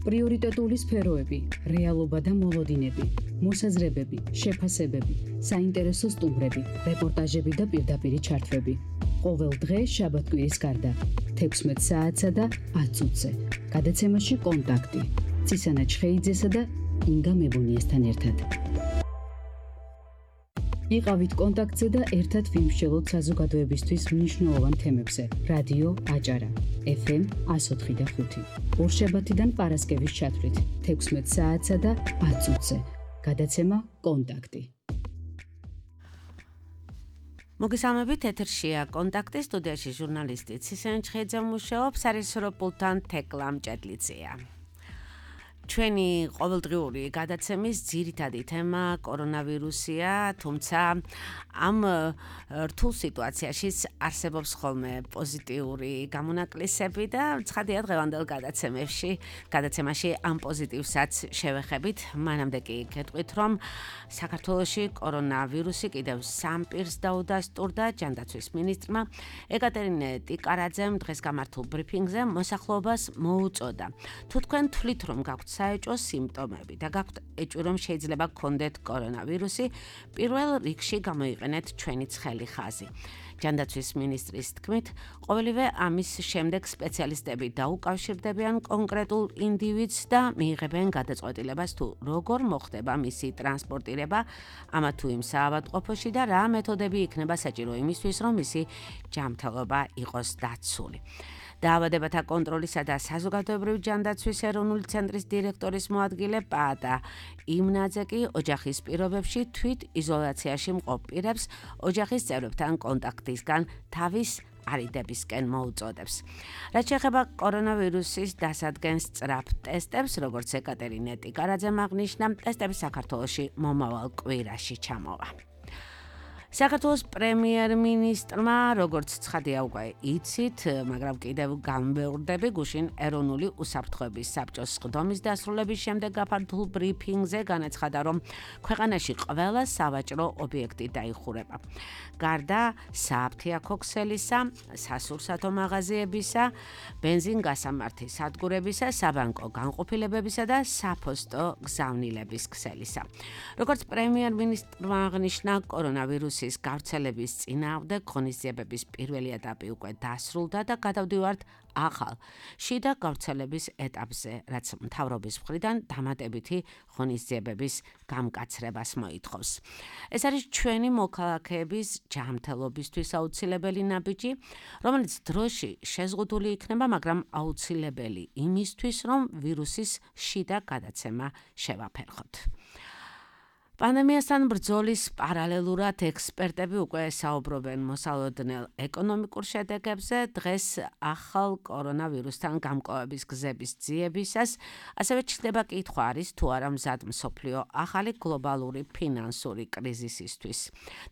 პრიორიტეტული სფეროები, რეალობა და მოლოდინები, მოსაზრებები, შეფასებები, საინტერესო სტუმრები, რეპორტაჟები და პირდაპირი ჩართვები. ყოველ დღე შაბათ-კვირის გარდა 16 საათსა და 10 წუთზე. გადაცემაში კონტაქტი. ცისანა ჩხეიძესა და ინგა მებონიესთან ერთად. იყავით კონტაქტზე და ერთად ვიმსჯელოთ საზოგადოებისთვის მნიშვნელოვან თემებზე. რადიო აჭარა, FM 104.5. ორშაბათიდან პარასკევის ჩათვლით 16 საათსა და 10 წუთზე. გადაცემა კონტაქტი. მოგესალმებით, ეთერშია კონტაქტი, სტუდიაში ჟურნალისტი ცისანა ჩხეიძე მუშაობს, სარესურსო პულტთან თეკლა მჭედლიძეა. ჩვენი ყოველდღიური გადაცემის ძირითადი თემა კორონავირუსია, თუმცა ამ რთულ სიტუაციაში არსებობს ხოლმე პოზიტიური გამონაკლისები და ცხადია დღევანდელ გადაცემაში ამ პოზიტივსაც შევეხებით. მანამდე კი გეტყვით, რომ საქართველოში კორონავირუსი კიდევ 3 პირს დაუდასტურდა. ჯანდაცვის მინისტრმა ეკატერინე ტიკარაძემ დღეს გამართულ ბრიფინგზე მოსახლეობას მოუწოდა. თუ თქვენ თვლით, რომ გაქვთ საეჭვო სიმპტომები და გაქვთ ეჭვი, რომ შეიძლება გქონდეთ კორონავირუსი, პირველ რიგში გამოიყენეთ ჩვენი ცხელი ხაზი. ჯანდაცვის მინისტრის თქმით, ყოველივე ამის შემდეგ სპეციალისტები დაუკავშირდებიან კონკრეტულ ინდივიდს და მიიღებენ გადაწყვეტილებას თუ როგორ მოხდება მისი ტრანსპორტირება ამა თუ იმ საავადმყოფოში და რა მეთოდები იქნება საჭირო იმისთვის, რომ მისი ჯანმრთელობა იყოს დაცული. დაავადებათა კონტროლისა და საზოგადოებრივი ჯანდაცვის ეროვნული ცენტრის დირექტორის მოადგილე პაატა იმნაძე კი ოჯახის პირობებში თვით იზოლაციაში მყოფ პირებს ოჯახის წევრებთან კონტაქტისგან თავის არიდებისკენ მოუწოდებს. რაც შეეხება კორონავირუსის დასადგენს სწრაფ ტესტებს, როგორც ეკატერინე ტიკარაძემ აღნიშნა, ტესტები საქართველოში მომავალ კვირაში ჩამოვა. საქართველოს პრემიერ-მინისტრმა, როგორც ცხადია უკვე იცით, მაგრამ კიდევ განმეორდები, გუშინ ეროვნული უსაფრთხოების საბჭოს სხდომის დასრულების შემდეგ გაფართოებულ ბრიფინგზე განაცხადა, რომ ქვეყანაში ყველა სავაჭრო ობიექტი დაიხურება. გარდა საფთიაქო ქსელისა, სასურსათო მაღაზიებისა, ბენზინგასამართი სადგურებისა, საბანკო განყოფილებებისა და საფოსტო გზავნილების ქსელისა. როგორც პრემიერ-მინისტრმა აღნიშნა, კორონავირუსის გავრცელების წინააღმდეგ ღონისძიებების პირველი ეტაპი უკვე დასრულდა და გადავდივართ ახალ შიდა გავრცელების ეტაპზე, რაც მთავრობის მხრიდან დამატებითი ღონისძიებების გამკაცრებას მოითხოვს. ეს არის ჩვენი მოქალაქეების ჯანმრთელობისთვის აუცილებელი ნაბიჯი, რომელიც დროში შეზღუდული იქნება, მაგრამ აუცილებელი იმისთვის, რომ ვირუსის შიდა გადაცემა შევაფერხოთ. პანდემიასთან ბრძოლის პარალელურად ექსპერტები უკვე საუბრობენ მოსალოდნელ ეკონომიკურ შედეგებზე. დღეს ახალ კორონავირუსთან გამკლავების გზების ძიებისას ასევე ჩნდება კითხვა არის თუ არა მზად მსოფლიო ახალი გლობალური ფინანსური კრიზისისთვის.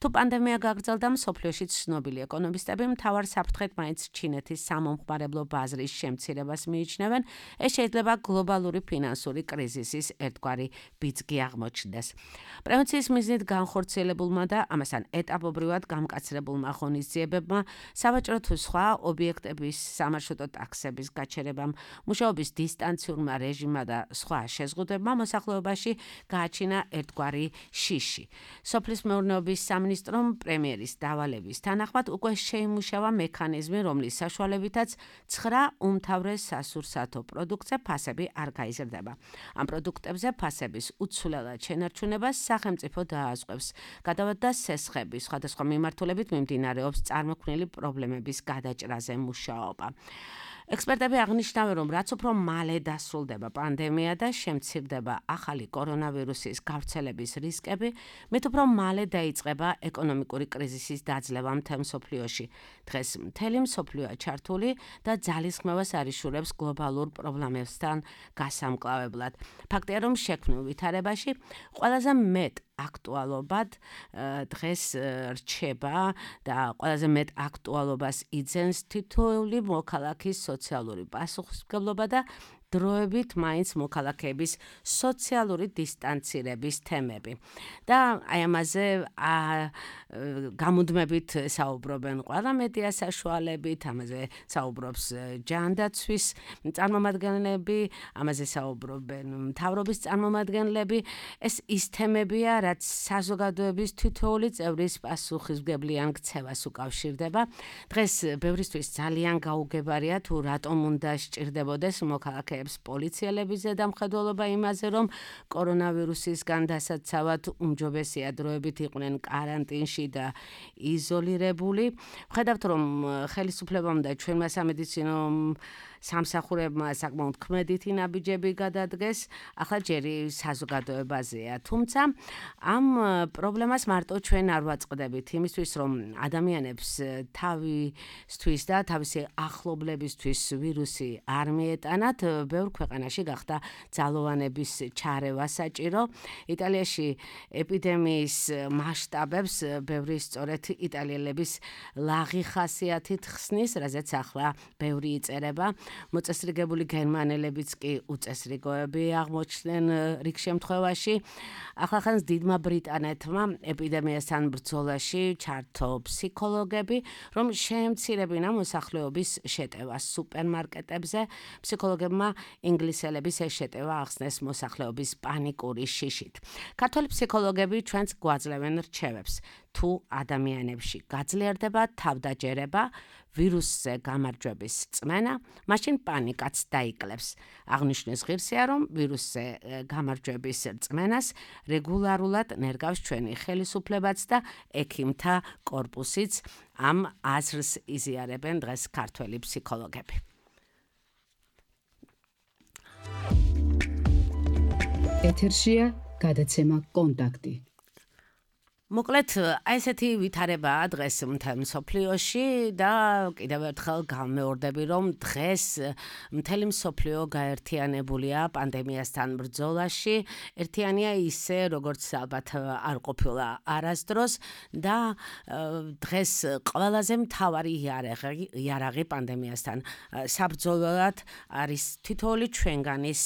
თუ პანდემია გაგრძელდა, მსოფლიოში ცნობილი ეკონომისტები მთავარ საფრთხედ მაინც ჩინეთის სამომხმარებლო ბაზრის შემცირებას მიიჩნევენ. ეს შეიძლება გლობალური ფინანსური კრიზისის ერთგვარი ბიძგი აღმოჩნდეს. პრევენციის მიზნით განხორციელებულმა და ამასთან ეტაპობრივად გამკაცრებულმა ღონისძიებებმა, სავაჭრო თუ სხვა ობიექტების სამარშრუტო ტაქსების გაჩერებამ, მუშაობის დისტანციურმა რეჟიმმა და სხვა შეზღუდებებმა მოსახლეობაში გააჩინა ერთგვარი შიში. სოფლის მეურნეობის სამინისტრომ პრემიერის დავალების თანახმად უკვე შეიმუშავა მექანიზმი, რომლის საშუალებითაც 9 უმთავრეს სასურსათო პროდუქტზე ფასები არ გაიზრდება. ამ პროდუქტებზე ფასების უცვლელად შენარჩუნებას სახელმწიფო დაასწრებს. გადავადა სესხების სხვადასხვა მიმართულებით მიმდინარეობს წარმოქმნილი პრობლემების გადაჭრაზე მუშაობა. ექსპერტები აღნიშნავენ, რომ რაც უფრო მალე დასრულდება პანდემია და შემცირდება ახალი კორონავირუსის გავრცელების რისკები, მით უფრო მალე დაიწყება ეკონომიკური კრიზისის დაძლევა მთელ მსოფლიოში. დღეს მთელი მსოფლიოა ჩართული და ძალისხმევას არიშურებს გლობალურ პრობლემებსთან გასამკლავებლად. ფაქტია, რომ შექმნილ ვითარებაში ყველაზე მეტ აქტუალობად დღეს რჩება და ყველაზე მეტ აქტუალობას იძენს თითოეული მოქალაქის სოციალური პასუხისმგებლობა და დროებით მაინც მოქალაქეების სოციალური დისტანცირების თემები. და აი ამაზე გამუდმებით საუბრობენ ყველა მედია საშუალებით, ამაზე საუბრობს ჯანდაცვის წარმომადგენლები, ამაზე საუბრობენ მთავრობის წარმომადგენლები. ეს ის თემებია, რაც საზოგადოების თითოეული წევრის პასუხისმგებლიან ქცევას უკავშირდება. დღეს ბევრისთვის ძალიან გაუგებარია თუ რატომ უნდა სჭირდებოდეს მოქალაქეებს პოლიციელების ზედამხედველობა იმაზე, რომ კორონავირუსისგან დასაცავად უმჯობესია დროებით იყვნენ კარანტინში და იზოლირებული. ვხედავთ, რომ ხელისუფლებამ და ჩვენმა სამედიცინო სამსახურებმა საკმაოდ ქმედითი ნაბიჯები გადადგეს, ახლა ჯერი საზოგადოებაზეა. თუმცა ამ პრობლემას მარტო ჩვენ არ ვაწყდებით იმისთვის, რომ ადამიანებს თავისთვის და თავისი ახლობლებისთვის ვირუსი არ მიეტანათ, ბევრ ქვეყანაში გახდა ძალოვანების ჩარევა საჭირო. იტალიაში ეპიდემიის მასშტაბებს ბევრი სწორედ იტალიელების ლაღი ხასიათით ხსნის, რაზეც ახლა ბევრი იწერება. მოწესრიგებული გერმანელებიც კი უწესრიგოები აღმოჩნდნენ რიგ შემთხვევაში. ახლახანს დიდმა ბრიტანეთმა ეპიდემიასთან ბრძოლაში ჩართო ფსიქოლოგები, რომ შეემცირებინა მოსახლეობის შეტევა სუპერმარკეტებზე. ფსიქოლოგებმა ინგლისელების ეს შეტევა ახსნეს მოსახლეობის პანიკური შიშით. ქართველი ფსიქოლოგები ჩვენს გვაძლევენ რჩევებს. თუ ადამიანებში გაძლიერდება თავდაჯერება, ვირუსზე გამარჯვების წმენა, მაშინ პანიკაც დაიკლებს. აღნიშნეს ღირსია, რომ ვირუსზე გამარჯვების წმენას რეგულარულად ნერგავს ჩვენი ხელისუფლებაც და ექიმთა კორპუსიც. ამ აზრს იზიარებენ დღეს ქართველი ფსიქოლოგები. ეთერშია გადაცემა კონტაქტი. მოკლედ, აი ესეთი ვითარებაა დღეს მთელ მსოფლიოში და კიდევ ერთხელ გამეორდები, რომ დღეს მთელი მსოფლიო გაერთიანებულია პანდემიასთან ბრძოლაში. ერთიანია ისე, როგორც ალბათ არ ყოფილა არასდროს და დღეს ყველაზე მთავარი იარაღი პანდემიასთან საბრძოლოდ არის თითოეული ჩვენგანის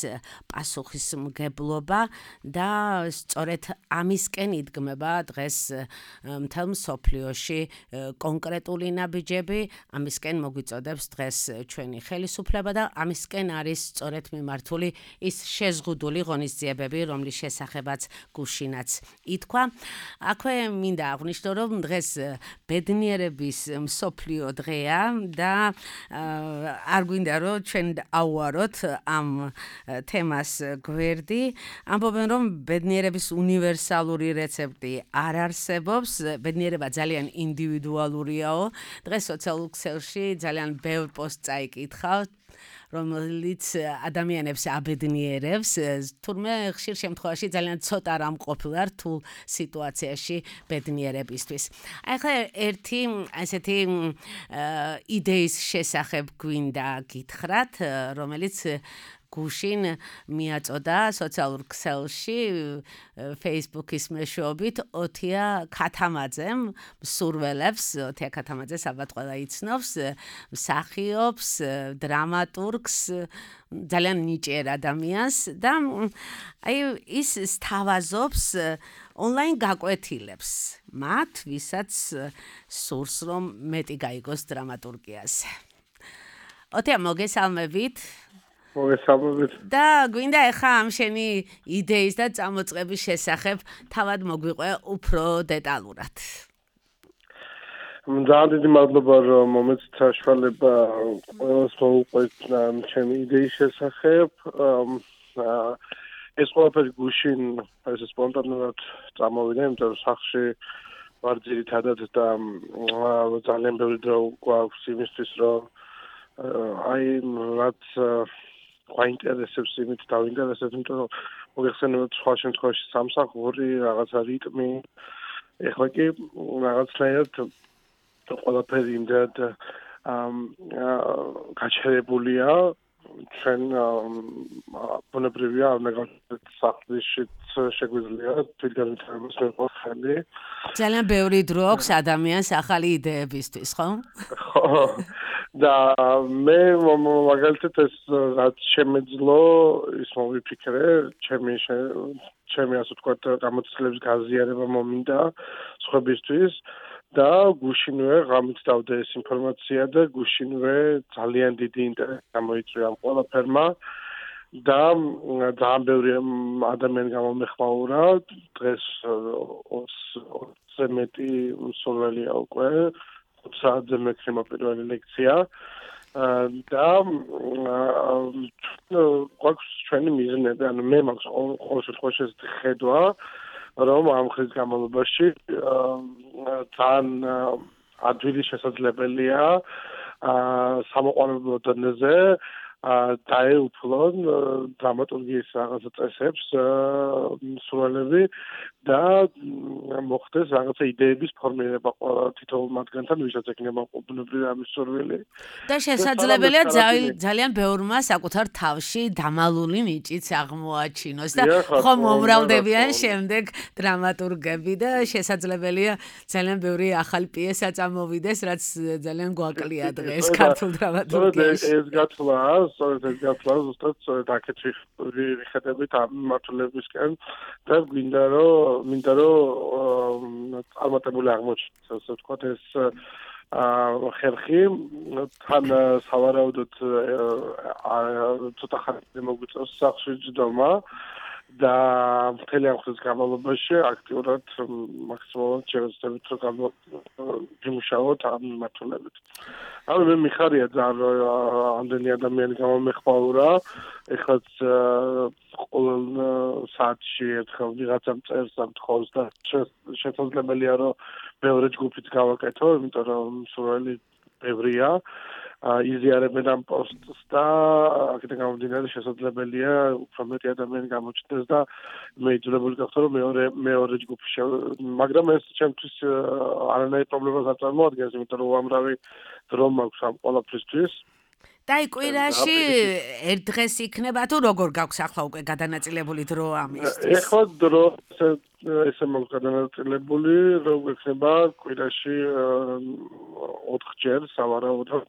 პასუხისმგებლობა და სწორედ ამისკენ იდგმება დღეს მთელ მსოფლიოში კონკრეტული ნაბიჯები, ამისკენ მოგვიწოდებს დღეს ჩვენი ხელისუფლება და ამისკენ არის სწორედ მიმართული ის შეზღუდული ღონისძიებები, რომლის შესახებაც გუშინაც ითქვა. აქვე მინდა აღვნიშნო, რომ დღეს ბედნიერების მსოფლიო დღეა და არ გვინდა რომ ჩვენ ავუაროთ ამ თემას გვერდი. ამბობენ, რომ ბედნიერების უნივერსალური რეცეპტი არ არსებობს, ბედნიერება ძალიან ინდივიდუალურიაო. დღეს სოციალურ ქსელში ძალიან ბევრ პოსტს წაიკითხავ, რომელიც ადამიანებს აბედნიერებს, თურმე ხშირ შემთხვევაში ძალიან ცოტა რამ ყოფილა რთულ სიტუაციაში ბედნიერებისთვის. ახლა ერთი ასეთი იდეის შესახებ გვინდა გითხრათ, რომელიც გუშინ მიაწოდა სოციალურ ქსელში Facebook-ის მეშვეობით ოტია ქათამაძემ მსურველებს, ოტია ქათამაძეს ალბათ ყველა იცნობს, მსახიობს, დრამატურგს, ძალიან ნიჭიერ ადამიანს და აი ის სთავაზობს ონლაინ გაკვეთილებს მათ, ვისაც სურს რომ მეტი გაიგოს დრამატურგიაზე. ოტია, მოგესალმებით. და გვინდა ახლა ამ შენი იდეის და წამოწყების შესახებ თავად მოგვიყვე უფრო დეტალურად. ძალიან დიდი მადლობა, რომ მომეცით საშუალება ყველას მოუყვეთ ჩემი იდეის შესახებ. ეს ყველაფერი გუშინ ესე სპონტანურად წამოვიდა, იმიტომ რომ სახლში ვარ ძირითადად და ძალიან ბევრი დრო გვაქვს იმისთვის, რომ აი რაც გვაინტერესებს იმით დავინტერესებთ, იმიტომ რომ მოგეხსენებათ სხვა შემთხვევაში სამსახური, რაღაცა რიტმი. ეხლა კი რაღაცნაირად ყველაფერი იმდენად გაჩერებულია, ჩვენ ბუნებრივია არ ნაგავთ სახლში შეგვიძლია თვითგანვითარებას მეყოს ხელი. ძალიან ბევრი დრო აქვს ადამიანს ახალი იდეებისთვის, ხო? ხო, და მე მაგალითად ეს რაც შემეძლო ის მოვიფიქრე ჩემი ასე ვთქვათ გამოცდილების გაზიარება მომინდა სხვებისთვის და გუშინვე ღამით დავდე ეს ინფორმაცია და გუშინვე ძალიან დიდი ინტერესი გამოიწვია ამ ყველაფერმა და ძალიან ბევრი ადამიანი გამომეხმაურა დღეს 20-ზე მეტი მსურველია უკვე 20 საათზე მექნება პირველი ლექცია და გვაქვს ჩვენი მიზნები, ანუ მე მაქვს ყოველ შემთხვევაში ეს ხედვა, რომ ამ ხის განმავლობაში ძალიან ადვილი შესაძლებელია სამოყვარულო დონეზე დაეუფლონ დრამატურგიის რაღაცა წესებს მსურველები და მოხდეს რაღაცა იდეების ფორმირება თითოეულ მათგანთან, ვისაც ექნება ბუნებრივი ამის სურვილი. და შესაძლებელია ძალიან ბევრმა საკუთარ თავში დამალული ნიჭიც აღმოაჩინოს და ხომ მომრავლდებიან შემდეგ დრამატურგები და შესაძლებელია ძალიან ბევრი ახალი პიესა წამოვიდეს, რაც ძალიან გვაკლია დღეს ქართულ დრამატურგიაში. ეს გათვლა ზუსტად აქეთ ვიხედებით ამ მართლებისკენ და მინდა რომ წარმატებული აღმოჩნდეს, ასე ვთქვათ, ეს ხერხი თან სავარაუდოდ ცოტა ხანი მოგვიწევს სახლში ჯდომა და მთელი ამ ხნის განმავლობაში აქტიურად მაქსიმალურად შევეცდებით რომ ვიმუშაოთ ამ მიმართულებით. ანუ მე მიხარია ძალიან ამდენი ადამიანი გამომეხმაურა, ეხლაც ყოველ საათში ერთხელ ვიღაცამ წერს ამ თხოვს და შესაძლებელია რომ მეორე ჯგუფიც გავაკეთო, იმიტომ რომ მსურველი ბევრია. იზიარებენ ამ პოსტს და აქედან გამომდინარე შესაძლებელია უფრო მეტი ადამიანი გამოჩნდეს და მე იძულებული გახდა რომ მეორე ჯგუფი მაგრამ ეს ჩემთვის არანაირ პრობლემას არ წარმოადგენს, იმიტომ რომ უამრავი დრო მაქვს ამ ყველაფრისთვის. და კვირაში ერთ დღეს იქნება თუ როგორ გაქვს ახლა უკვე გადანაწილებული დრო ამისთვის? ეხლა დრო ესე მაქვს გადანაწილებული, რომ იქნება კვირაში 4 სავარაუდოდ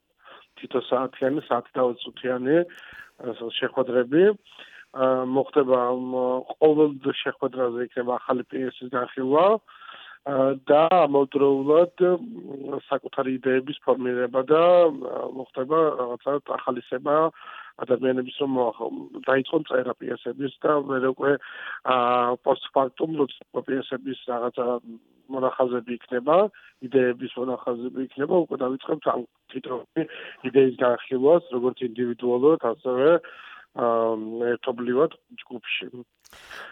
თითო საათიანი, 1 წუთიანი შეხვედრები. მოხდება ყოველ შეხვედრაზე იქნება ახალი პიესის განხილვა და ამავდროულად საკუთარი იდეების ფორმირება და მოხდება რაღაცა ახალისება ადამიანების რომ დაიწყონ წერა პიესების და მე უკვე პოსტფაქტუმ როცა პიესების რაღაცა მონახაზები იქნება, იდეების მონახაზები იქნება, უკვე დავიწყებთ ამ თითოეული იდეის განხილვას, როგორც ინდივიდუალურად, ასევე ერთობლივად ჯგუფში.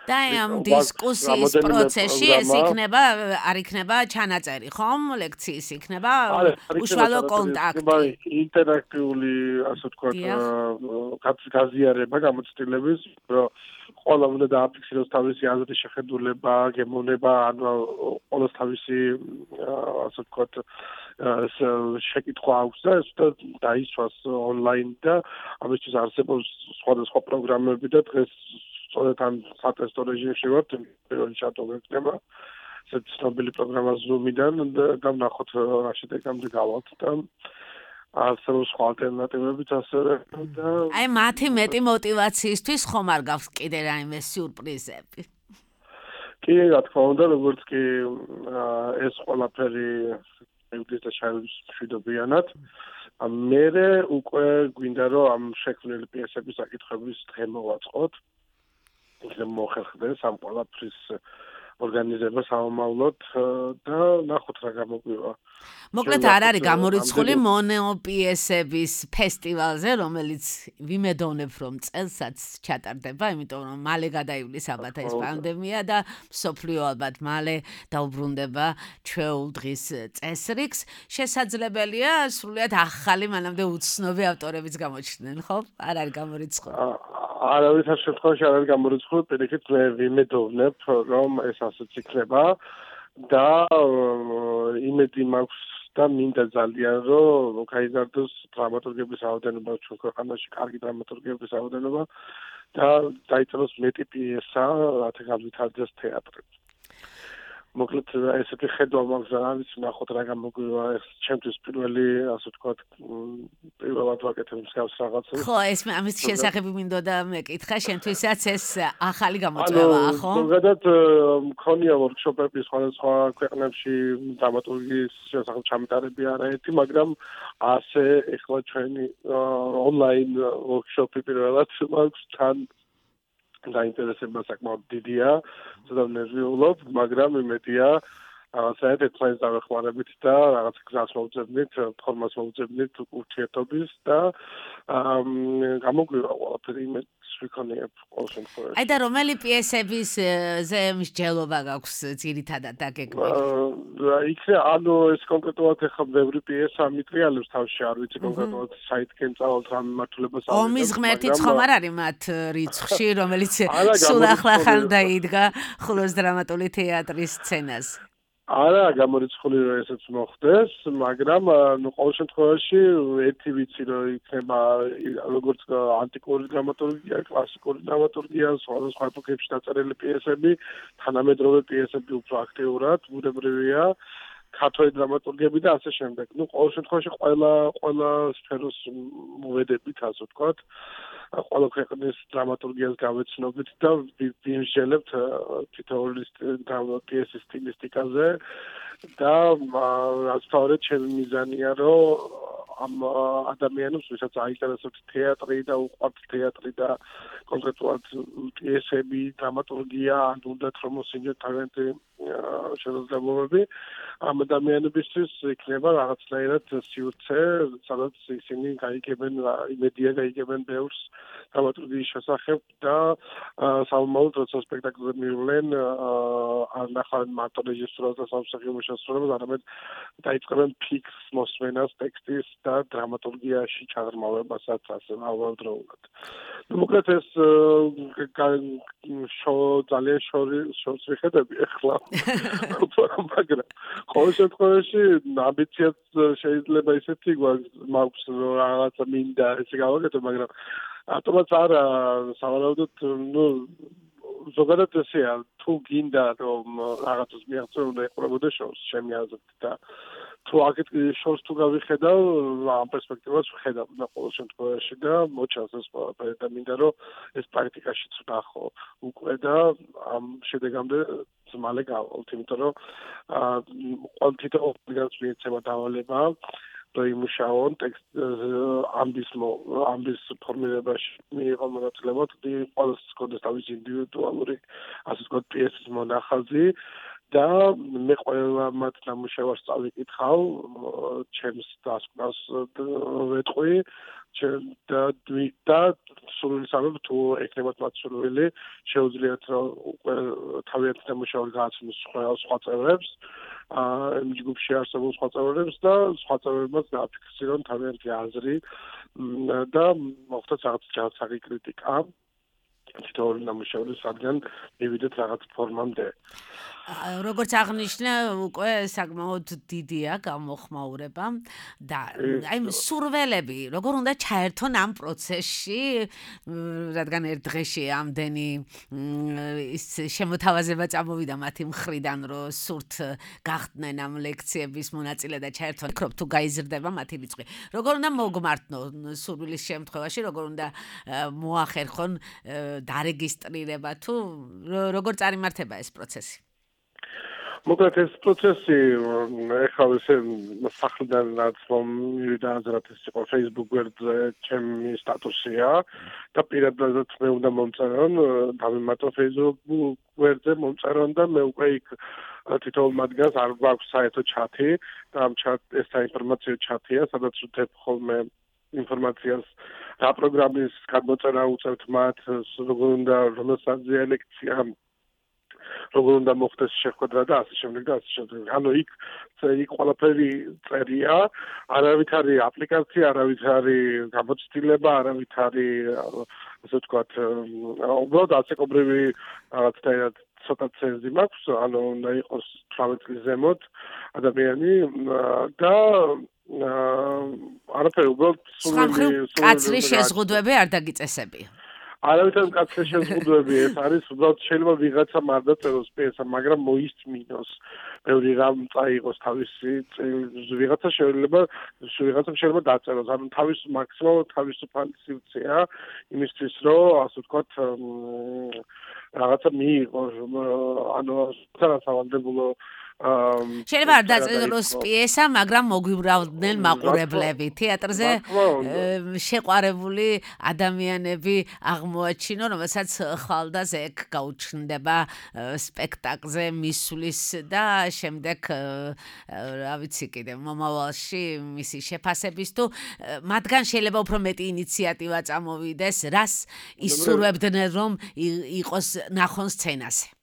და ამ დისკუსიის პროცესში ეს არ იქნება ჩანაწერი, ხომ? ლექციის იქნება უშუალო კონტაქტი. ინტერაქტიული, ასე ვთქვათ, გაზიარება გამოცდილების, რომ ყველა უნდა დააფიქსიროს თავისი აზრის შეხედულება, გემოვნება, ანუ ყველას თავისი, ასე ვთქვათ, შეკითხვა აქვს და ეს დაისვას ონლაინ და ამისთვის არსებობს სხვადასხვა პროგრამები და დღეს სწორედ ამ სატესტო რეჟიმში ვართ, პირველი ჩატოვე იქნება ესეთ ცნობილი პროგრამა Zoom-დან და ვნახოთ რა შედეგამდე გავალთ და არსებობს სხვა ალტერნატივებიც ასევე და აი მათი მეტი мотиваციისთვის ხომ არ გაქვს კიდე რაიმე სიურპრიზები? კი, რა თქმა უნდა, როგორც კი ეს ყველაფერი მივდის და შევიდეს მშვიდობიანად. მერე უკვე გვინდა რომ ამ შექმნილი პიესების საკითხების დღე მოვაწყოთ. იქნებ მოხერხდეს ამ ყველაფრის ორგანიზება სამომავლოდ და ნახოთ რა გამოგვივა. მოკლედ არ არის გამორიცხული მონოპიესების ფესტივალზე, რომელიც ვიმედოვნებ რომ წელსაც ჩატარდება, იმიტომ რომ მალე გადაივლის ალბათ ეს პანდემია და მსოფლიო ალბათ მალე დაუბრუნდება ჩვეულ დღის წესრიგს. შესაძლებელია სრულიად ახალი, მანამდე უცნობი ავტორებიც გამოჩნდნენ, ხო? არ არის გამორიცხული. არავითარ შემთხვევაში არ არის გამორიცხული, პირიქით მე ვიმედოვნებ რომ ეს ასეც იქნება და იმედი მაქვს და მინდა ძალიან რომ გაიზარდოს დრამატურგების რაოდენობა ჩვენ ქვეყანაში, კარგი დრამატურგების რაოდენობა და დაიწეროს მეტი პიესა, რათა განვითარდეს თეატრი. მოკლედ ესეთი ხედვა მაქვს რა ვიცი ნახოთ რა გამოგვივა ეს ჩემთვის პირველი ასე ვთქვათ პირველად ვაკეთებ მსგავს რაღაცას ხო ეს ამის შესახებ მინდოდა მეკითხა შენთვისაც ეს ახალი გამოწვევაა ხო? ზოგადად მქონია ვორქშოპები სხვადასხვა ქვეყნებში დრამატურგიის შესახებ ჩამეტარები არაერთი მაგრამ ასე ეხლა ჩვენი ონლაინ ვორქშოპი პირველად მაქვს თან დაინტერესება საკმაოდ დიდია, ცოტა ნერვიულობ, მაგრამ იმედია, საერთოდ თქვენს დავეხმარებით და რაღაც გზას მოვუძებნით, ფორმას მოვუძებნით ურთიერთობის და გამოგვივა ყველაფერი იმედს ვიქონიებ ყოველ შემთხვევაში. აი და რომელი პიესების ზე მსჯელობა გაქვს ძირითადად დაგეგმილი? ანუ ეს კონკრეტულად ახლა ბევრი პიესა მიტრიალებს თავში, არ ვიცი კონკრეტულად საითკენ წავალთ რა მიმართულებას ავიღებ. ომის ღმერთიც ხომ არ არის მათ რიცხვში, რომელიც სულ ახლახან დაიდგა ხულოს დრამატული თეატრის სცენას. არა, გამორიცხული რომ ესეც მოხდეს, მაგრამ ყოველ შემთხვევაში ერთი ვიცი რომ იქნება როგორც ანტიკური დრამატურგია, კლასიკური დრამატურგია, სხვადასხვა ეპოქებში დაწერილი პიესები, თანამედროვე პიესები უფრო აქტიურად, ბუნებრივია, ქართველი დრამატურგები და ასე შემდეგ. ყოველ შემთხვევაში ყველა სფეროს მოვედებით, ასე ვთქვათ. ყველა ქვეყნის დრამატურგიას გავეცნობით და ვიმსჯელებთ თითოეული პიესის სტილისტიკაზე და რაც თავად ჩემი მიზანია რომ ამ ადამიანებს ვისაც აინტერესებთ თეატრი და უყვართ თეატრი და კონკრეტულად პიესები, დრამატურგია, ან უნდათ რომ მოსინჯოთ თავიანთი შესაძლებლობები ამ ადამიანებისთვის იქნება რაღაცნაირად სივრცე, სადაც ისინი გაიგებენ, იმედია გაიგებენ ბევრს დრამატურგიის შესახებ და სამომავლოდ როცა სპექტაკლზე მივლენ არ ნახავენ მარტო რეჟისურას და სამსახიობო შესრულებას, არამედ დაიწყებენ ფიქრს მოსმენას ტექსტის და დრამატურგიაში ჩაღრმავებასაც ასე ამავდროულად. მოკლედ ეს ძალიან შორს ვიხედები ახლა. მაგრამ ყოველ შემთხვევაში ამბიციაც შეიძლება ისეთი მაქვს რომ რაღაცა მინდა ესე გავაკეთო, მაგრამ ატომაც არა სავარაუდოდ ზოგადად ესეა თუ გინდა რომ რაღაცას მიაღწევ უნდა ეყურებოდეს შორს ჩემი აზრით და თუ აქეთ შორს თუ გავიხედავ ამ პერსპექტივას ვხედავ და ყოველ შემთხვევაში და მოჩანს ეს ყველაფერი და მინდა რომ ეს პრაქტიკაშიც ვნახო უკვე და ამ შედეგამდე მალე გავალთ, იმიტომ რომ თითოეულს მიეცემა დავალება და იმუშაონ ტექსტ ამბის ფორმირებაში მიიღო მონაწილეობა თუ ყველას ჰქონდეს თავისი ინდივიდუალური ასე ვთქვათ პიესის მონახაზი და მე ყველა მათ ნამუშევარს წავიკითხავ, ჩემს დასკვნას ვეტყვი და სრულისამებრ თუ ეკნებათ მათ სურვილი, შეუძლიათ რომ უკვე თავიანთი ნამუშევარი გააცნოს სხვა წევრებს, იმ ჯგუფში არსებულ სხვა წევრებს და სხვა წევრებმაც დააფიქსირონ თავიანთი აზრი და მოხდეს რაღაც ჯანსაღი კრიტიკა. თითოეული ნამუშევრის რადგან მივიდეთ რაღაც ფორმამდე. როგორც აღნიშნე, უკვე საკმაოდ დიდია გამოხმაურება და აი სურველები, როგორ უნდა ჩაერთონ ამ პროცესში, რადგან ერთ დღეში ამდენი ის შემოთავაზება წამოვიდა მათი მხრიდან, რომ სურთ გახდნენ ამ ლექციების მონაწილე და ჩაერთონ, იქ თუ გაიზრდება მათი რიცხვი. როგორ უნდა მოგმართონ სურვილის შემთხვევაში, როგორ უნდა მოახერხონ დარეგისტრირება თუ როგორ წარიმართება ეს პროცესი? მოკლედ ეს პროცესი ეხლა ესე სახლიდან რაც მომივიდა აზრად ეს იყო Facebook გვერდზე ჩემი სტატუსია და პირადადაც მე უნდა მომწერონ დავიმატო Facebook გვერდზე მომწერონ და მე უკვე იქ თითოეულ მათგანს არ გვაქვს საერთო ჩათი და ამ ეს საინფორმაციო ჩათია, სადაც ვთებ ხოლმე ინფორმაციას რა პროგრამის გადმოწერა უწევთ მათ, როგორ უნდა რომელსაძია ლექცია, როგორ უნდა მოხდეს შეხვედრა და ასე შემდეგ და ასე შემდეგ. ანუ იქ ყველაფერი წერია, არავით არის აპლიკაცია, არავით არის გამოცდილება, არავით არის ასე ვთქვათ, უბრალოდ ასეკობრივი რაღაცა ცოტა ცენზი მაქვს, ანუ უნდა იყოს 18 წლის ზემოთ ადამიანი და არაფერი უბრალოდ სულ კაცრი შეზღუდვები არ დაგიწესებია. არავითარ კაცს შეზღუდვები ეს არის უბრალოდ შეიძლება ვიღაცა არ დაწეროს პიესა მაგრამ მოისმინოს ბევრი რამ წაიღოს თავისი ვიღაცა შეიძლება დაწეროს ანუ თავის მაქსიმალურად თავისუფალი სივრცეა იმისთვის რომ ასე ვთქვათ რაღაცა მიიღოს ანუ სავალდებულო შეიძლება არ დაწეროს პიესა, მაგრამ მოგვიბრალდნენ მაყურებლები. თეატრზე შეყვარებული ადამიანები აღმოაჩინო, რომელსაც ხვალდაზე ეგ გაუჩნდება სპექტაკლზე მისვლის და შემდეგ რა ვიცი კიდე მომავალში მისი შეფასების თუ მათგან შეიძლება უფრო მეტი ინიციატივა წამოვიდეს, რას ისურვებდნენ რომ იყოს ნახონ სცენაზე.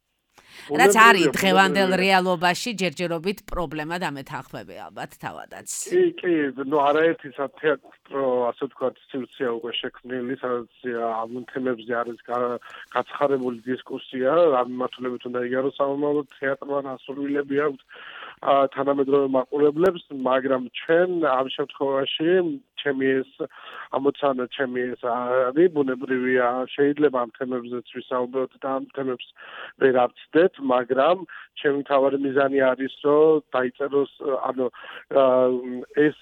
რაც არის დღევანდელ რეალობაში ჯერჯერობით პრობლემა დამეთანხმები ალბათ თავადაც. კი, ნუ არაერთი თეატრო ასე ვთქვათ სივრცეა უკვე შექმნილი, სადაც ამ თემებზე არის გაცხარებული დისკუსია, ამ მიმართულებით უნდა იგაროს სამომავლო თეატრთან ასრულებები აქვს თანამედროვე მაყურებლებს, მაგრამ ჩვენ ამ შემთხვევაში ჩემი ეს ამოცანა ჩემი ეს არის ბუნებრივია შეიძლება ამ თემებზეც ვისაუბროთ და ამ თემებს ვერ ავწდეთ მაგრამ ჩემი მთავარი მიზანი არის რომ დაიწეროს ანუ ეს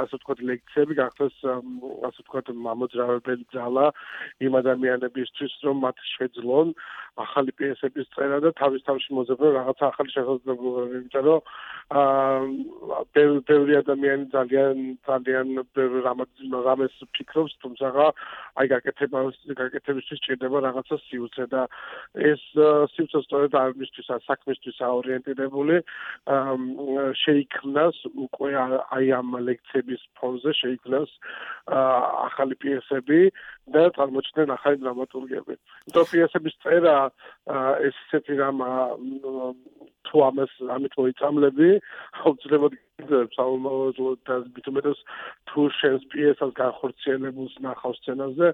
ასე ვთქვათ ლექციები გახდეს ასე ვთქვათ მამოძრავებელი ძალა იმ ადამიანებისთვის რომ მათ შეძლონ ახალი პიესების წერა და თავის მოძებნა რაღაცა ახალი შესაძლებლობები იმიტომ რომ ბევრი ადამიანი ძალიან რამეს ფიქრობს თუმცა აი გაკეთებისთვის ჭირდება რაღაცა სივრცე და ეს სივრცე სწორედ ამისთვის საქმისთვის აორიენტირებული შეიქმნას უკვე აი ამ ლექციების ფონზე შეიქმნას ახალი პიესები და წარმოჩნდნენ ახალი დრამატურგები. იმიტომ პიესების წერა ეს ისეთი რამ თუ ამით მოიწამლები აუცილებლად საომავლოდ და მithumetos თუ შენს პიესას განხორციელებულს ნახავს სცენაზე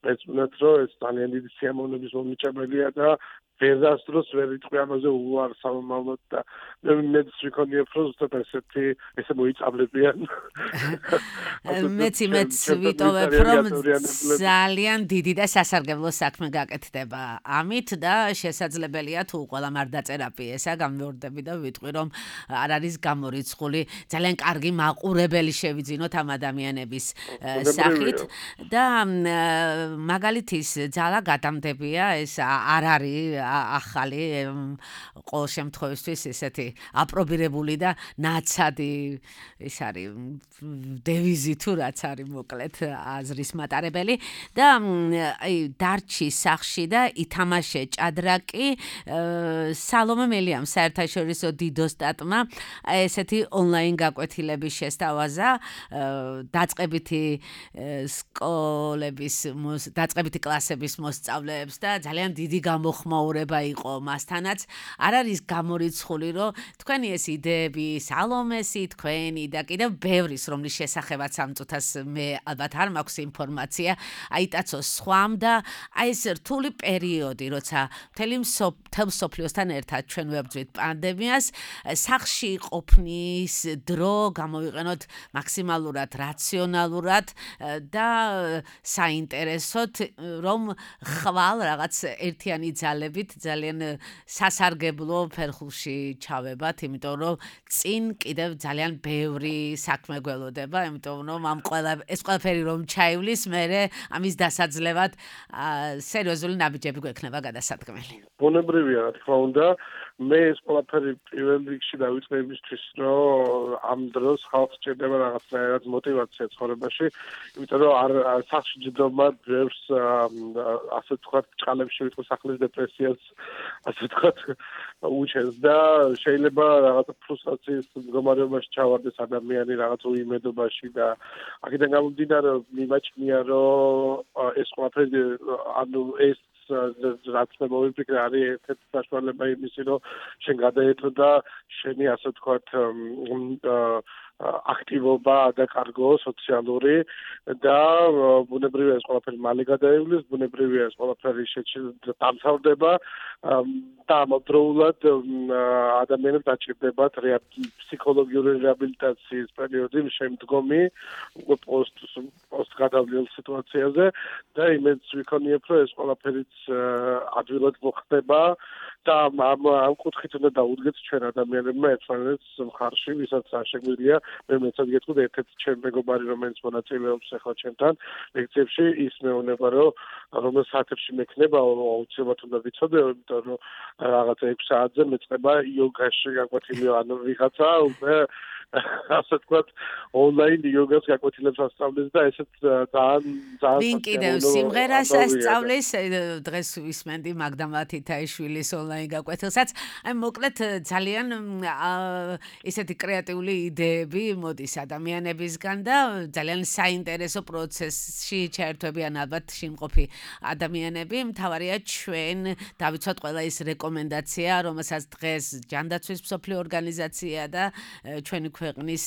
მეცნიერად რომ ეს ძალიან დიდი სიამოვნების მომიჭებელია და ვერასდროს ვერ იტყვი ამაზე უარ საომავლოდ და მეც ვიქონიებ რომ ზუსტად ესე მოიწამლებიან მეც ვიტოვებ რომ ძალიან დიდი და სასარგებლო საქმე გაკეთდება ამით და შესაძლებელია თუ ყველამ არ დაწერა პიესა გამეორდები და ვიტყვი რომ არ არის გამორიცხული ძალიან კარგი მაყურებელი შევიძინოთ ამ ადამიანების სახით და მაგალითის ძალა გადამდებია ეს არ არის ახალი ყოველ შემთხვევისთვის ესეთი აპრობირებული და ნაცადი ეს არის დევიზი თუ რაც არის მოკლედ აზრის მატარებელი და აი დარჩი სახში და ითამაშე ჭადრაკი სალომე მელიამ საერთაშორისო დიდოსტატმა ესეთი ონლაინ გაკვეთილების შესთავაზა დაწყებითი სკოლების დაწყებითი კლასების მოსწავლეებს და ძალიან დიდი გამოხმაურება იყო მასთანაც არ არის გამორიცხული რომ თქვენი ეს იდეები სალომესი თქვენი და კიდევ ბევრის რომლის შესახებაც ამ წუთას მე ალბათ არ მაქვს ინფორმაცია აიტაცოს სხვამ და აი ეს რთული პერიოდი როცა მთელ სოფლიოსთან ერთად ჩვენ ვებრძვით პანდემიას სახში ყოფნის დრო გამოვიყენოთ მაქსიმალურად რაციონალურად და საინტერესოდ რომ ხვალ რაღაც ერთიანი ძალებით ძალიან სასარგებლო ფერხულში ჩავებათ, იმიტომ რომ წინ კიდევ ძალიან ბევრი საქმე გველოდება, იმიტომ რომ ეს ყველაფერი რომ ჩაივლის, მერე ამის დასაძლევად სერიოზული ნაბიჯები გვექნება გადასადგმელი. ბუნებრივია, რა თქმა უნდა, მე ეს ყველაფერი პირველ რიგში დავიწყე იმისთვის, რომ ამ დროს ხალხს ჭირდება რაღაცნაირად მოტივაცია ცხოვრებაში, იმიტომ რომ არ სახში ჯდომა ბევრს ასე ვთქვათ, ჭყალებში ვიტყვის ახლის დეპრესიას, ასე ვთქვათ, უჩენს და შეიძლება რაღაცა ფრუსტრაციის მდგომარეობაში ჩავარდეს ადამიანი რაღაც უიმედობაში და აქედან გამომდინარე მიმაჩნია რომ ეს ყველაფერი ანუ ეს რაც მე მოვიფიქრე არის ერთ-ერთი საშუალება იმისი რომ შენ გადაეწოდა შენი ასე ვთქვათ აქტივობა და კარგო სოციალური და ბუნებრივია ეს ყველაფერი მალე გადაივლის, ბუნებრივია ეს ყველაფერი დამთავრდება და ამავდროულად ადამიანებს დაჭირდებათ ფსიქოლოგიური რეაბილიტაციის პერიოდი შემდგომი პოსტ გადავლილ სიტუაციაზე და იმედს ვიქონიებ, რომ ეს ყველაფერიც ადვილად მოხდება და ამ კუთხით უნდა დაუდგეთ ჩვენ ადამიანებმა ერთმანეთს მხარში, ვისაც არ შეგვიძლია მე მეცად გეტყვით ერთ-ერთი ჩემი მეგობარი, რომელიც მონაწილეობს ახლა ჩემთან ლექციებში, ის მეუბნება, რომ რომელ საათებში მექნება, აუცილებლად უნდა ვიცოდე, იმიტომ რომ რაღაცა 6 საათზე მეწყება იოგაში გაკვეთილი ან ვიღაცა უკვე ასე ვთქვათ, ონლაინ იოგას გაკვეთილებს ასწავლის და ესეც ძალიან ვინ კიდევ სიმღერას ასწავლის დღეს ვისმენდი მაგდა მათითაიშვილის ონლაინ გაკვეთილსაც. აი მოკლედ ძალიან ესეთი კრეატიული იდეები მოდის ადამიანებისგან და ძალიან საინტერესო პროცესში ჩაერთვებიან ალბათ შემყოფი ადამიანები. მთავარია ჩვენ დავიცვათ ყველა ის რეკომენდაცია, რომელსაც დღეს ჯანდაცვის მსოფლიო ორგანიზაცია და ჩვენი ქვეყნის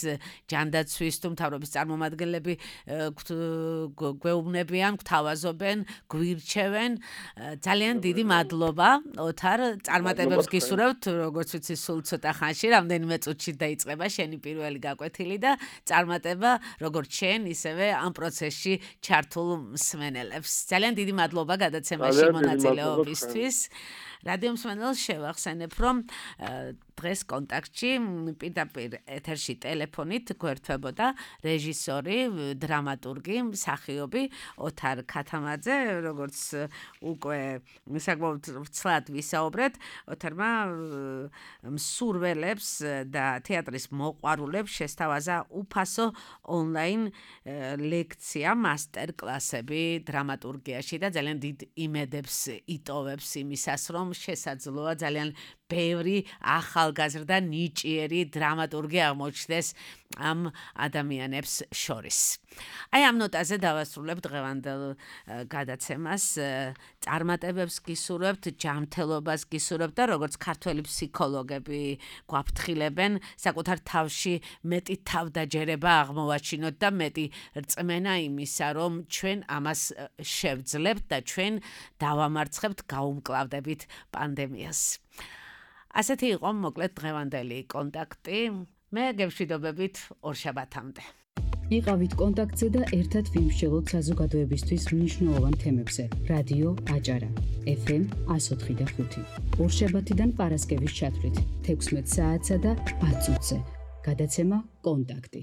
ჯანდაცვის თუ მთავრობის წარმომადგენლები გვეუბნებიან, გვთავაზობენ, გვირჩევენ. ძალიან დიდი მადლობა, ოთარ, წარმატებებს გისურვებთ, როგორც ვიცი, სულ ცოტა ხანში, რამდენიმე წუთში დაიწყება შენი პირველი გაკვეთილი და წარმატება როგორც შენ, ისევე ამ პროცესში ჩართულ მსმენელებს. ძალიან დიდი მადლობა გადაცემაში მონაწილეობისთვის. რადიო მსმენელს შევახსენებ, რომ დღეს კონტაქტში პირდაპირ ეთერში ტელეფონით გვერდთვებოდა რეჟისორი, დრამატურგი, მსახიობი ოთარ ქათამაძე, როგორც უკვე საკმაოდ ვრცლად ვისაუბრეთ, ოთარმა მსურველებს და თეატრის მოყვარულებს შესთავაზა უფასო ონლაინ ლექცია, მასტერკლასები დრამატურგიაში და ძალიან დიდ იმედებს იტოვებს იმისას, რომ შესაძლოა ძალიან ბევრი ახალგაზრდა ნიჭიერი დრამატურგი აღმოჩნდეს ამ ადამიანებს შორის. აი ამ ნოტაზე დავასრულებ დღევანდელ გადაცემას. წარმატებებს გისურვებთ, ჯანმრთელობას გისურვებთ და როგორც ქართველი ფსიქოლოგები გვაფრთხილებენ, საკუთარ თავში მეტი თავდაჯერება აღმოვაჩინოთ და მეტი რწმენა იმისა, რომ ჩვენ ამას შევძლებთ და ჩვენ დავამარცხებთ, გაუმკლავდებით პანდემიას. ასეთი იყო მოკლედ დღევანდელი კონტაქტი. მე გევშვიდობებით ორშაბათამდე. იყავით კონტაქტზე და ერთად ვიმსჯელოთ საზოგადოებისთვის მნიშვნელოვან თემებზე. რადიო აჭარა FM 104.5. ორშაბათიდან პარასკევის ჩათვლით 16 საათსა და 10 წუთზე. გადაცემა კონტაქტი.